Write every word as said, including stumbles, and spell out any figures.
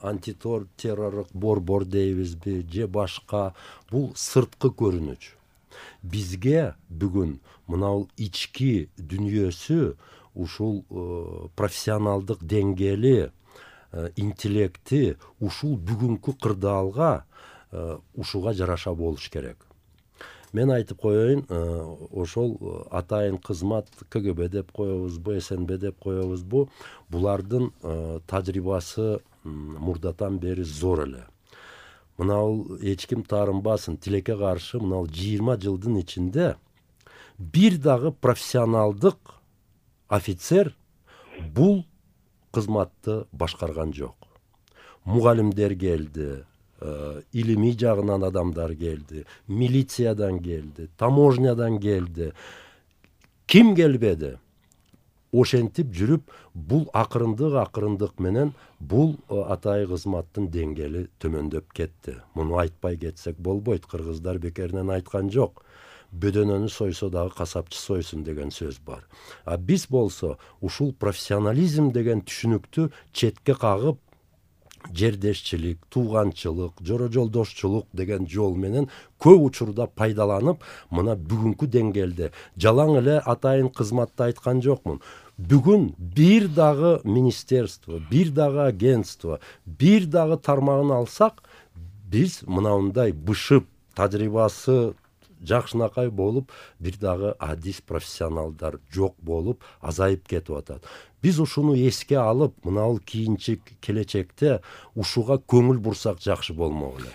антитеррорлук борбор дейбизби же башка, бул сырткы көрүнүш. Бизге бүгүн мынау ички дүнүйөсү, ушул профессионалдык деңгээли, интеллекти ушул бүгүнкү кырдаалга ушуга жараша болуш керек. Мен айтып коеюн, ошол атайын кызмат ка гэ бэ деп коебузбу, эс эн бэ деп коебузбу, булардын тажрыйбасы мурдатан бери зор эле. Мынау эч ким таарынбасын, тилекке каршы мынау жыйырма жылдын ичинде бир дагы профессионалдык офицер бул кызматты башкарган жок. Мугалимдер келди, илимий жагынан адамдар келди, милициядан келди, таможнядан келди. Ким келбеди? Ошентип жүрүп, бул акырындык акырындык менен бул атайын кызматтын деңгээли төмөндөп кетти. Муну айтпай кетсек болбойт. Кыргыздар бекеринен айткан жок. Бөдөнөнү сойсо дагы касапчы сойсун деген сөз бар. А биз болсо ушул профессионализм деген түшүнүктү четке кагып, жердешчилик, тууганчылык, жора жолдошчулук деген жол менен көп учурда пайдаланып, мына бүгүнкү деңгээлде жалаң эле атайын кызматты айткан жокмун. Бүгүн бир дагы министерство, бир дагы агентство, бир дагы тармагын алсак, биз мынандай бышып, тажрыйбасы жакшынакай болуп, бир дагы адис профессионалдар жок болуп, азайып кетип атат. Биз ушуну эске алып, мынау кийинчи келечекте ушуга көңүл бурсак жакшы болмок эле.